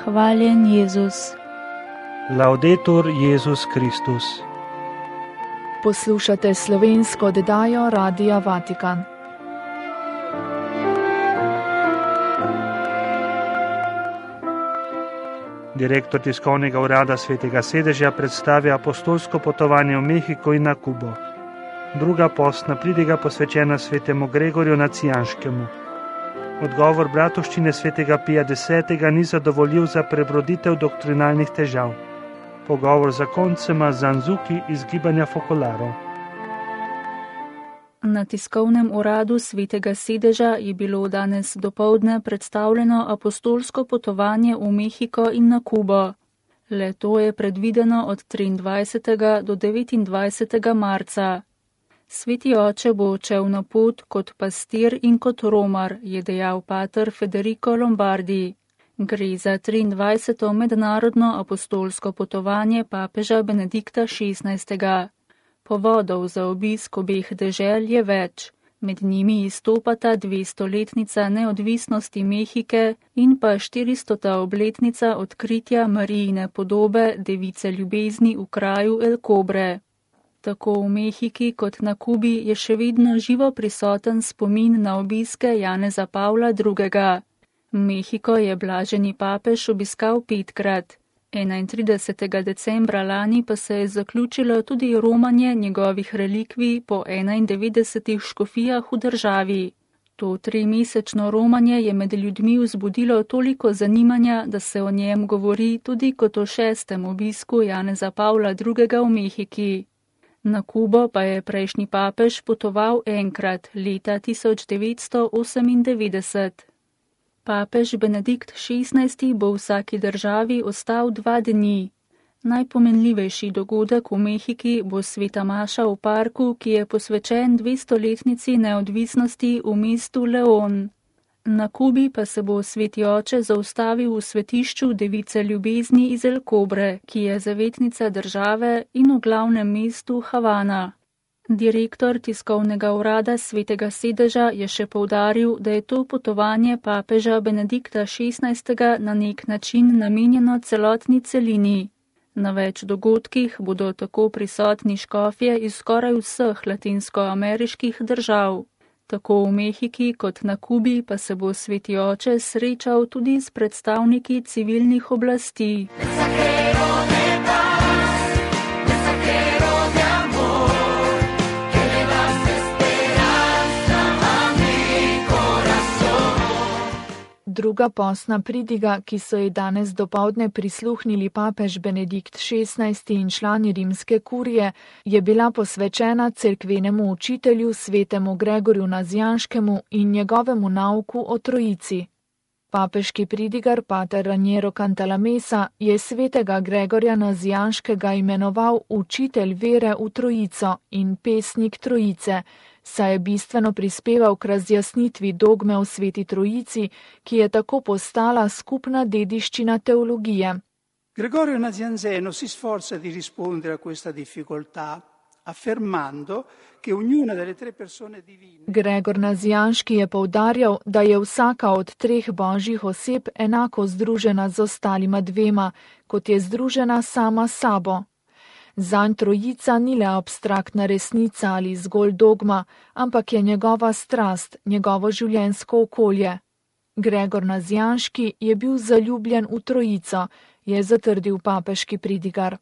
Hvaljen Jezus. Laudetur Jezus Kristus. Poslušate slovensko oddajo Radia Vatikan. Direktor tiskovnega urada Svetega sedeža predstavlja apostolsko potovanje v Mehiko in na Kubo. Druga postna pridiga posvečena svetemu Gregorju Nacijanškemu. Odgovor bratovščine svetega Pija X. ni zadovoljiv za prebroditev doktrinalnih težav. Pogovor za koncema Zanzuki iz gibanja Focolaro. Na tiskovnem uradu Svetega sedeža je bilo danes dopoldne predstavljeno apostolsko potovanje v Mehiko in na Kubo. Le-to je predvideno od 23. do 29. marca. Sveti oče bo odšel na pot kot pastir in kot romar, je dejal pater Federico Lombardi. Gre za 23. mednarodno apostolsko potovanje papeža Benedikta XVI. Povodov za obisk obeh dežel je več. Med njimi izstopata 200-letnica neodvisnosti Mehike in pa 400. obletnica odkritja Marijine podobe Device ljubezni v kraju El Cobre. Tako v Mehiki kot na Kubi je še vedno živo prisoten spomin na obiske Janeza Pavla II. Mehiko je blaženi papež obiskal 5-krat. 31. decembra lani pa se je zaključilo tudi romanje njegovih relikvij po 91 škofijah v državi. To 3-mesečno romanje je med ljudmi vzbudilo toliko zanimanja, da se o njem govori tudi kot o 6. obisku Janeza Pavla II. V Mehiki. Na Kubo pa je prejšnji papež potoval enkrat, leta 1998. Papež Benedikt XVI. Bo v vsaki državi ostal 2 dni. Najpomenljivejši dogodek v Mehiki bo sveta maša v parku, ki je posvečen 200-letnici neodvisnosti v mestu León. Na Kubi pa se bo sveti oče zaustavil v svetišču Device ljubezni iz El Cobre, ki je zavetnica države, in v glavnem mestu Havana. Direktor tiskovnega urada Svetega sedeža je še poudaril, da je to potovanje papeža Benedikta XVI. Na nek način namenjeno celotni celini. Na več dogodkih bodo tako prisotni škofje iz skoraj vseh latinskoameriških držav. Tako v Mehiki kot na Kubi pa se bo sveti oče srečal tudi s predstavniki civilnih oblasti. Druga postna pridiga, ki so ji danes dopoldne prisluhnili papež Benedikt XVI. In člani rimske kurije, je bila posvečena cerkvenemu učitelju svetemu Gregorju Nazijanškemu in njegovemu nauku o Trojici. Papeški pridigar pater Raniero Cantalamessa je svetega Gregorja Nazijanškega imenoval učitelj vere v Trojico in pesnik Trojice, saj je bistveno prispeval k razjasnitvi dogme o sveti Trojici, ki je tako postala skupna dediščina teologije. Gregorio Nazianzeno si sforza di rispondere a questa difficoltà, affermando che ognuna delle 3 persone divine. Gregor Nazijanški je poudarjal, da je vsaka od 3 božjih oseb enako združena z ostalima 2, kot je združena sama s sabo. Zanj Trojica ni le abstraktna resnica ali zgolj dogma, ampak je njegova strast, njegovo življenjsko okolje. Gregor Nazijanški je bil zaljubljen v Trojico, je zatrdil papeški pridigar.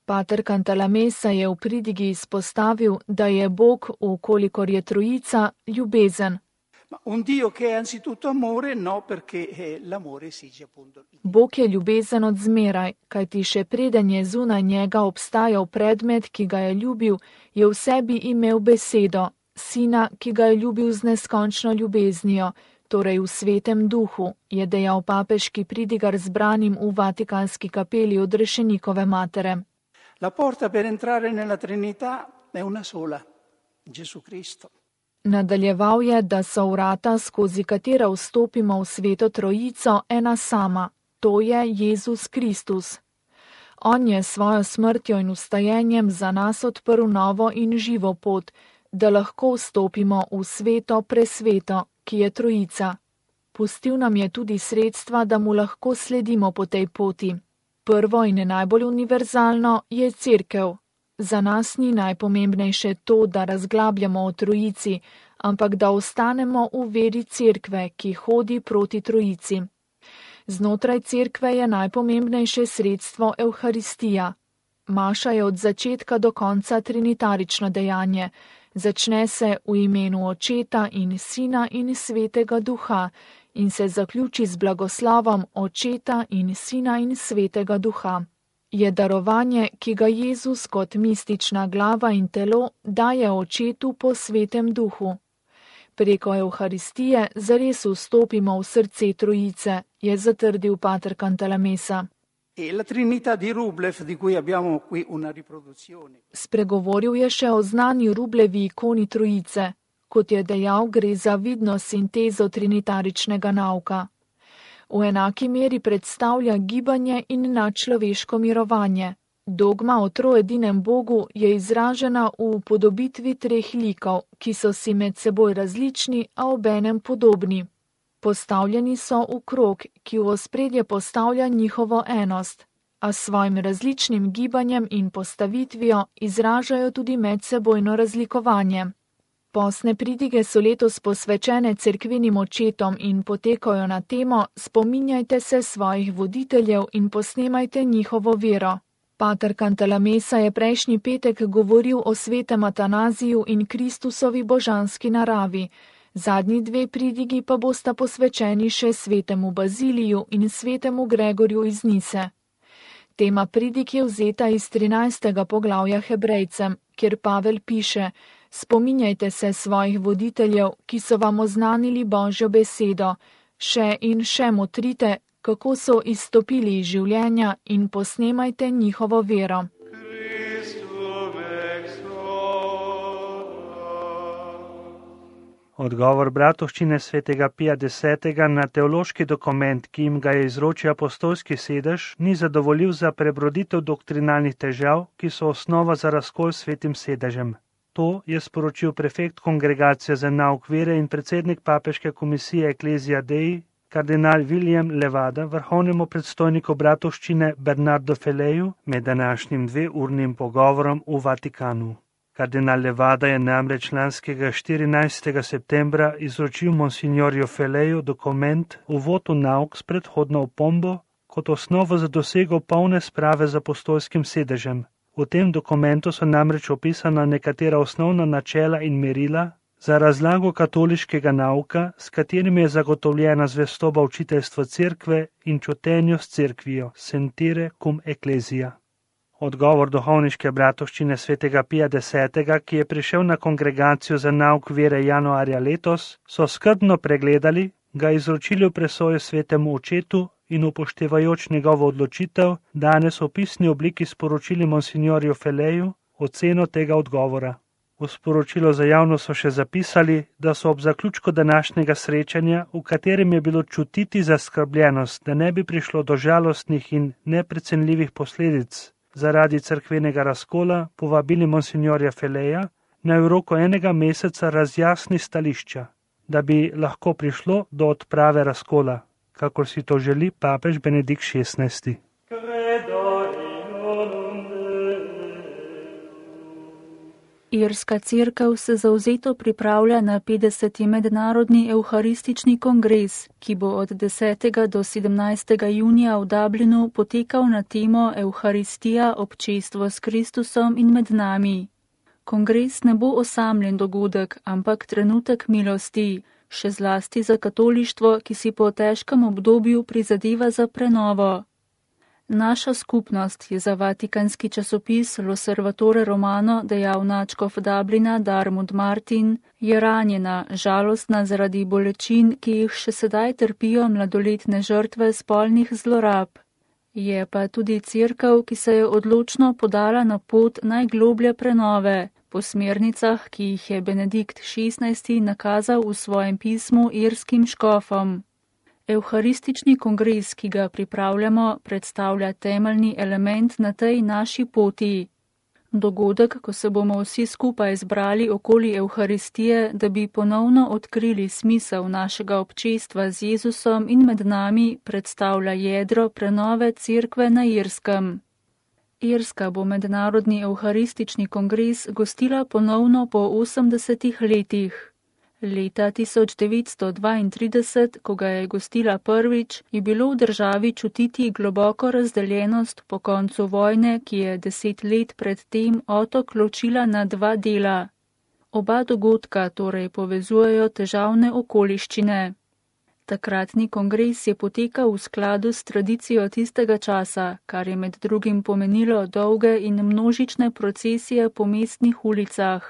Pater Cantalamessa je v pridigi izpostavil, da je Bog, vkolikor je Trojica, ljubezen. Bog je ljubezen od zmeraj, kajti še preden je zunaj njega obstajal predmet, ki ga je ljubil, je v sebi imel besedo, sina, ki ga je ljubil z neskončno ljubeznijo, torej v svetem duhu, je dejal papeški pridigar zbranim v Vatikanski kapeli odrešenikove matere. La porta per entrare nella Trinità è una sola, Gesù Cristo. Nadaljeval je, da so vrata, skozi katera vstopimo v sveto Trojico, ena sama, to je Jezus Kristus. On je svojo smrtjo in vstajenjem za nas odprl novo in živo pot, da lahko vstopimo v sveto presveto, ki je Trojica. Pustil nam je tudi sredstva, da mu lahko sledimo po tej poti. Prvo in najbolj univerzalno je Cerkev. Za nas ni najpomembnejše to, da razglabljamo o Trojici, ampak da ostanemo v veri Cerkve, ki hodi proti Trojici. Znotraj Cerkve je najpomembnejše sredstvo Evharistija. Maša je od začetka do konca trinitarično dejanje. Začne se v imenu Očeta in Sina in Svetega Duha in se zaključi z blagoslovom Očeta in Sina in Svetega Duha. Je darovanje, ki ga Jezus kot mistična glava in telo daje Očetu po Svetem Duhu. Preko Evharistije zares vstopimo v srce Trojice, je zatrdil pater Cantalamessa. La Trinità di Rublev, di cui abbiamo qui una riproduzione. Spregovoril je še o znani Rublevi ikoni Trojice. Kot je dejal, gre za vidno sintezo trinitaričnega nauka. V enaki meri predstavlja gibanje in nadčloveško mirovanje. Dogma o troedinem Bogu je izražena v podobitvi treh likov, ki so si med seboj različni, a obenem podobni. Postavljeni so v krog, ki v ospredje postavlja njihovo enost, a s svojim različnim gibanjem in postavitvijo izražajo tudi medsebojno razlikovanje. Postne pridige so letos posvečene cerkvenim očetom in potekajo na temo Spominjajte se svojih voditeljev in posnemajte njihovo vero. Pater Cantalamessa je prejšnji petek govoril o svetem Atanaziju in Kristusovi božanski naravi. Zadnji dve pridigi pa bosta posvečeni še svetemu Baziliju in svetemu Gregorju iz Nise. Tema pridig je vzeta iz 13. poglavja Hebrejcem, kjer Pavel piše: Spominjajte se svojih voditeljev, ki so vam oznanili Božjo besedo, še in še motrite, kako so izstopili iz življenja in posnemajte njihovo vero. Odgovor bratovščine svetega Pija X. na teološki dokument, ki jim ga je izročil apostolski sedež, ni zadovoljiv za prebroditev doktrinalnih težav, ki so osnova za razkol s svetim sedežem. To je sporočil prefekt Kongregacije za nauk vere in predsednik papeške komisije Ecclesia Dei, kardinal William Levada, vrhovnemu predstojniku bratovščine Bernardo Feleju med današnjim 2-urnim pogovorom v Vatikanu. Kardinal Levada je namreč lanskega 14. septembra izročil monsignorju Feleju dokument Uvod v nauk s predhodno opombo kot osnovo za dosego polne sprave z apostolskim sedežem. V tem dokumentu so namreč opisana nekatera osnovna načela in merila za razlago katoliškega nauka, s katerimi je zagotovljena zvestoba učiteljstva cerkve in čutenju s cerkvijo, sentire cum ecclesia. Odgovor duhovniške bratovščine svetega Pija X., ki je prišel na Kongregacijo za nauk vere januarja letos, so skrbno pregledali, ga izročili v presojo svetemu očetu in upoštevajoč njegovo odločitev, danes v pisni obliki sporočili monsignorju Feleju oceno tega odgovora. V sporočilo za javnost so še zapisali, da so ob zaključku današnjega srečanja, v katerem je bilo čutiti zaskrbljenost, da ne bi prišlo do žalostnih in neprecenljivih posledic zaradi cerkvenega razkola, povabili monsignorja Feleja, naj v roku 1 meseca razjasni stališča, da bi lahko prišlo do odprave razkola, kakor si to želi papež Benedikt XVI. Irska cerkev se zavzeto pripravlja na 50. mednarodni evharistični kongres, ki bo od 10. do 17. junija v Dublinu potekal na temo Evharistija, občestvo s Kristusom in med nami. Kongres ne bo osamljen dogodek, ampak trenutek milosti, še zlasti za katolištvo, ki si po težkem obdobju prizadeva za prenovo. Naša skupnost, je za vatikanski časopis L'Osservatore Romano dejal nadškof Dublina Darmud Martin, je ranjena, žalostna zaradi bolečin, ki jih še sedaj trpijo mladoletne žrtve spolnih zlorab. Je pa tudi cerkev, ki se je odločno podala na pot najgloblje prenove, po smernicah, ki jih je Benedikt XVI. Nakazal v svojem pismu irskim škofom. Evharistični kongres, ki ga pripravljamo, predstavlja temeljni element na tej naši poti. Dogodek, ko se bomo vsi skupaj zbrali okoli Evharistije, da bi ponovno odkrili smisel našega občestva z Jezusom in med nami, predstavlja jedro prenove cerkve na Irskem. Irska bo mednarodni evharistični kongres gostila ponovno po 80 letih. Leta 1932, ko ga je gostila prvič, je bilo v državi čutiti globoko razdeljenost po koncu vojne, ki je 10 let predtem otok ločila na 2 dela. Oba dogodka torej povezujejo težavne okoliščine. Takratni kongres je potekal v skladu s tradicijo tistega časa, kar je med drugim pomenilo dolge in množične procesije po mestnih ulicah.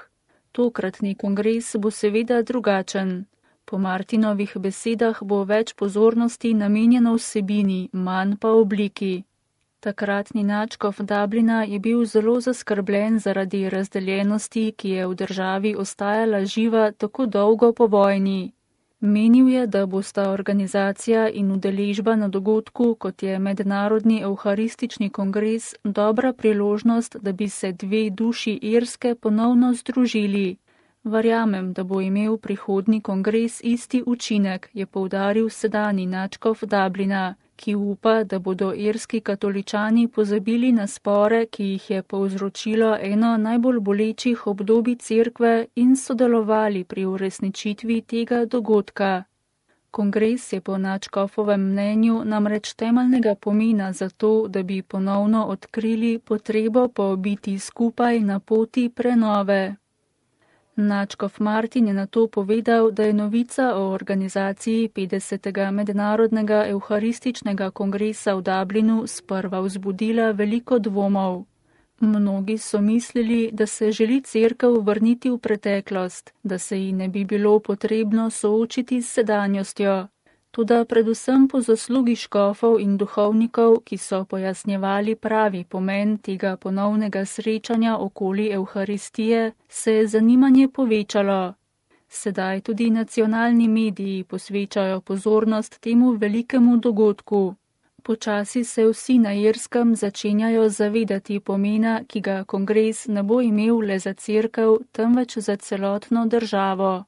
Tokratni kongres bo seveda drugačen. Po Martinovih besedah bo več pozornosti namenjeno vsebini, manj pa obliki. Takratni nadškof Dublina je bil zelo zaskrbljen zaradi razdeljenosti, ki je v državi ostajala živa tako dolgo po vojni. Menil je, da bosta organizacija in udeležba na dogodku, kot je Mednarodni evharistični kongres, dobra priložnost, da bi se 2 duši Irske ponovno združili. Verjamem, da bo imel prihodnji kongres isti učinek, je poudaril sedanji nadškof Dublina, ki upa, da bodo irski katoličani pozabili na spore, ki jih je povzročilo eno najbolj bolečih obdobij cerkve in sodelovali pri uresničitvi tega dogodka. Kongres je po nadškofovem mnenju namreč temeljnega pomena za to, da bi ponovno odkrili potrebo po biti skupaj na poti prenove. Nadškof Martin je nato povedal, da je novica o organizaciji 50. mednarodnega evharističnega kongresa v Dublinu sprva vzbudila veliko dvomov. Mnogi so mislili, da se želi cerkev vrniti v preteklost, da se ji ne bi bilo potrebno soočiti s sedanjostjo. Toda predvsem po zaslugi škofov in duhovnikov, ki so pojasnjevali pravi pomen tega ponovnega srečanja okoli Evharistije, se je zanimanje povečalo. Sedaj tudi nacionalni mediji posvečajo pozornost temu velikemu dogodku. Počasi se vsi na Irskem začenjajo zavedati pomena, ki ga kongres ne bo imel le za cerkev, temveč za celotno državo.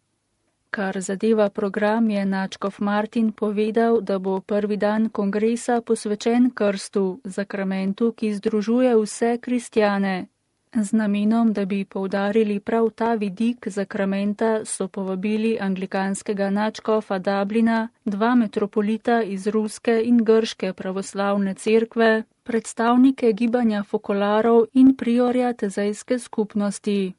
Kar zadeva program, je nadškof Martin povedal, da bo prvi dan kongresa posvečen krstu, zakramentu, ki združuje vse kristjane. Z namenom, da bi poudarili prav ta vidik zakramenta, so povabili anglikanskega nadškofa Dublina, 2 metropolita iz ruske in grške pravoslavne cerkve, predstavnike gibanja fokolarov in priorja tezejske skupnosti.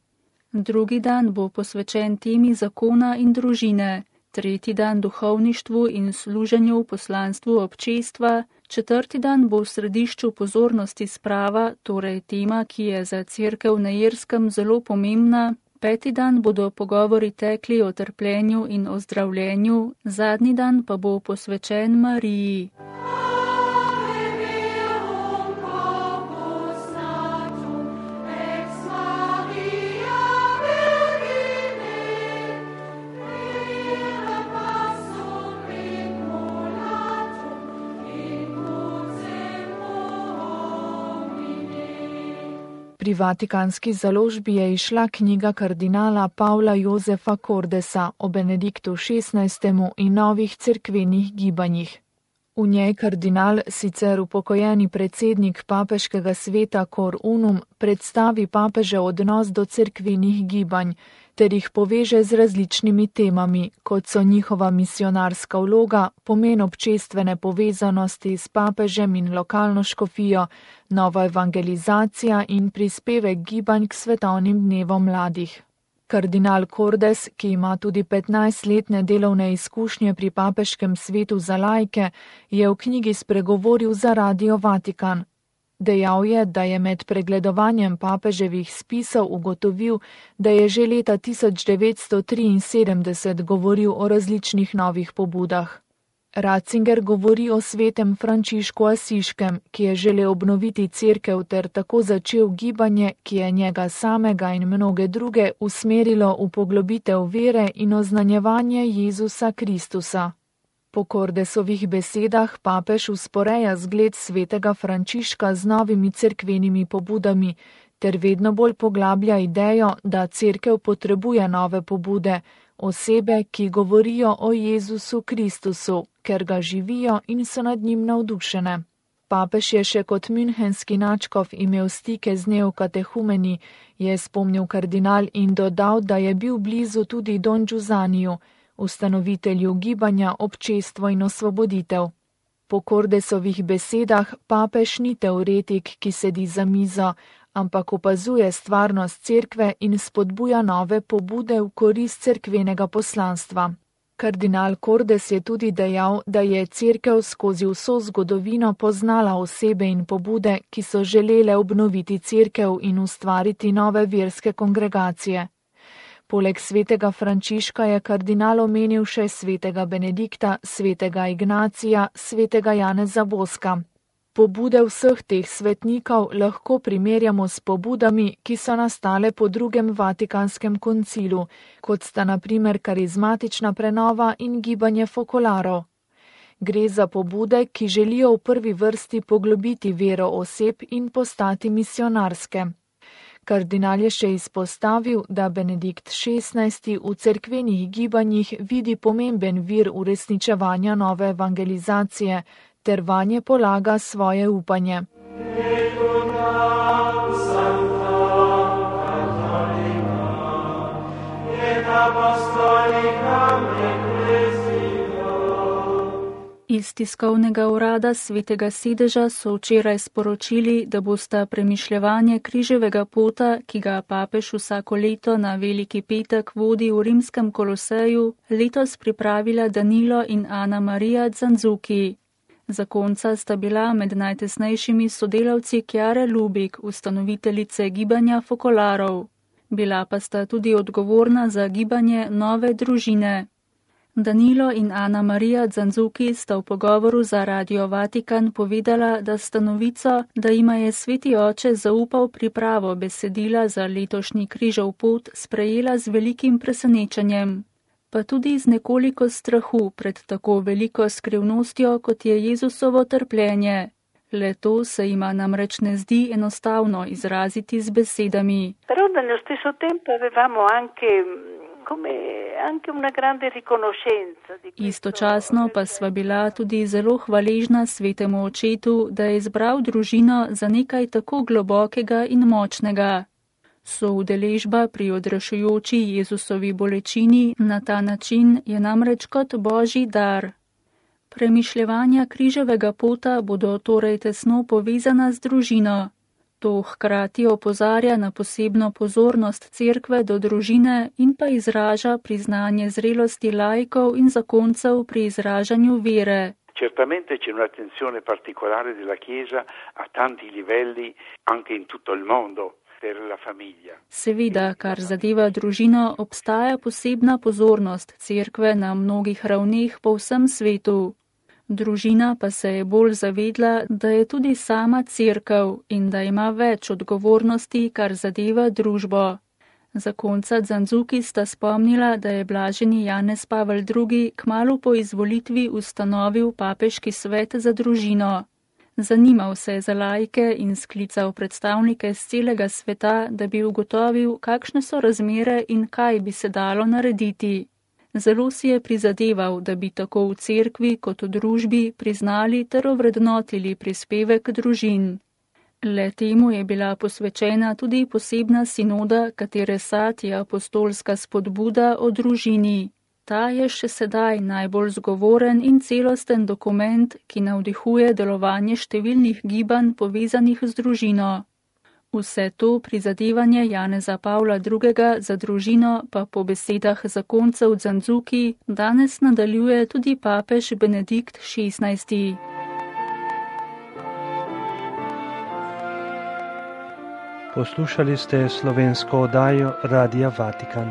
Drugi dan bo posvečen temi zakona in družine, tretji dan duhovništvu in služenju v poslanstvu občestva, četrti dan bo v središču pozornosti sprava, torej tema, ki je za cerkev na Irskem zelo pomembna, peti dan bodo pogovori tekli o trpljenju in o zdravljenju, zadnji dan pa bo posvečen Mariji. Pri Vatikanski založbi je izšla knjiga kardinala Pavla Jozefa Cordesa o Benediktu XVI. In novih cerkvenih gibanjih. V njej kardinal, sicer upokojeni predsednik papeškega sveta Cor Unum, predstavi papežev odnos do cerkvenih gibanj, ter jih poveže z različnimi temami, kot so njihova misionarska vloga, pomen občestvene povezanosti s papežem in lokalno škofijo, nova evangelizacija in prispevek gibanj k svetovnim dnevom mladih. Kardinal Cordes, ki ima tudi 15-letne delovne izkušnje pri papeškem svetu za laike, je v knjigi spregovoril za Radio Vatikan. Dejal je, da je med pregledovanjem papeževih spisov ugotovil, da je že leta 1973 govoril o različnih novih pobudah. Ratzinger govori o svetem Frančišku Asiškem, ki je želel obnoviti cerkev ter tako začel gibanje, ki je njega samega in mnoge druge usmerilo v poglobitev vere in oznanjevanje Jezusa Kristusa. Po Cordesovih besedah papež usporeja zgled svetega Frančiška z novimi cerkvenimi pobudami, ter vedno bolj poglablja idejo, da cerkev potrebuje nove pobude, osebe, ki govorijo o Jezusu Kristusu, ker ga živijo in so nad njim navdušene. Papež je še kot münchenski nadškof imel stike z neokatehumeni, je spomnil kardinal in dodal, da je bil blizu tudi Don Giusaniju, ustanovitelju gibanja Občestvo in osvoboditev. Po Cordesovih besedah papež ni teoretik, ki sedi za mizo, ampak opazuje stvarnost cerkve in spodbuja nove pobude v korist cerkvenega poslanstva. Kardinal Cordes je tudi dejal, da je cerkev skozi vso zgodovino poznala osebe in pobude, ki so želele obnoviti cerkev in ustvariti nove verske kongregacije. Poleg svetega Frančiška je kardinal omenil še svetega Benedikta, svetega Ignacija, svetega Janeza Boska. Pobude vseh teh svetnikov lahko primerjamo s pobudami, ki so nastale po drugem Vatikanskem koncilu, kot sta na primer karizmatična prenova in gibanje fokolarov. Gre za pobude, ki želijo v prvi vrsti poglobiti vero oseb in postati misionarske. Kardinal je še izpostavil, da Benedikt XVI v cerkvenih gibanjih vidi pomemben vir uresničevanja nove evangelizacije, ter vanje polaga svoje upanje. Iz tiskovnega urada Svetega sedeža so včeraj sporočili, da bosta premišljevanje križevega pota, ki ga papež vsako leto na Veliki petek vodi v rimskem Koloseju, letos pripravila Danilo in Ana Marija Zanzuki. Zakonca sta bila med najtesnejšimi sodelavci Chiare Lubik, ustanoviteljice gibanja fokolarov. Bila pa sta tudi odgovorna za gibanje Nove družine. Danilo in Ana Marija Zanzuki sta v pogovoru za Radio Vatikan povedala, da sta novico, da jima je Sveti oče zaupal pripravo besedila za letošnji križev pot, sprejela z velikim presenečenjem, pa tudi z nekoliko strahu pred tako veliko skrivnostjo, kot je Jezusovo trpljenje. Le to se jima namreč ne zdi enostavno izraziti z besedami. Però nello stesso tempo avevamo anche una grande riconoscenza di questo. Istočasno pa sva bila tudi zelo hvaležna Svetemu očetu, da je izbral družino za nekaj tako globokega in močnega. Soudeležba pri odrešujoči Jezusovi bolečini na ta način je namreč kot božji dar. Premišljevanja križevega pota bodo torej tesno povezana z družino. To hkrati opozarja na posebno pozornost cerkve do družine in pa izraža priznanje zrelosti laikov in zakoncev pri izražanju vere. Certamente c'è un'attenzione particolare della Chiesa a tanti livelli anche in tutto il mondo. Seveda, kar zadeva družino, obstaja posebna pozornost cerkve na mnogih ravneh po vsem svetu. Družina pa se je bolj zavedla, da je tudi sama cerkev in da ima več odgovornosti, kar zadeva družbo. Zakonca Zanzuki sta spomnila, da je blaženi Janez Pavel II kmalu po izvolitvi ustanovil papeški svet za družino. Zanimal se je za laike in sklical predstavnike z celega sveta, da bi ugotovil, kakšne so razmere in kaj bi se dalo narediti. Zelo si je prizadeval, da bi tako v cerkvi kot v družbi priznali ter ovrednotili prispevek družin. Le temu je bila posvečena tudi posebna sinoda, katere sad je apostolska spodbuda o družini. Ta je še sedaj najbolj zgovoren in celosten dokument, ki navdihuje delovanje številnih gibanj povezanih z družino. Vse to prizadevanje Janeza Pavla II. Za družino pa po besedah zakoncev Zanzuki danes nadaljuje tudi papež Benedikt XVI. Poslušali ste slovensko oddajo Radia Vatikan.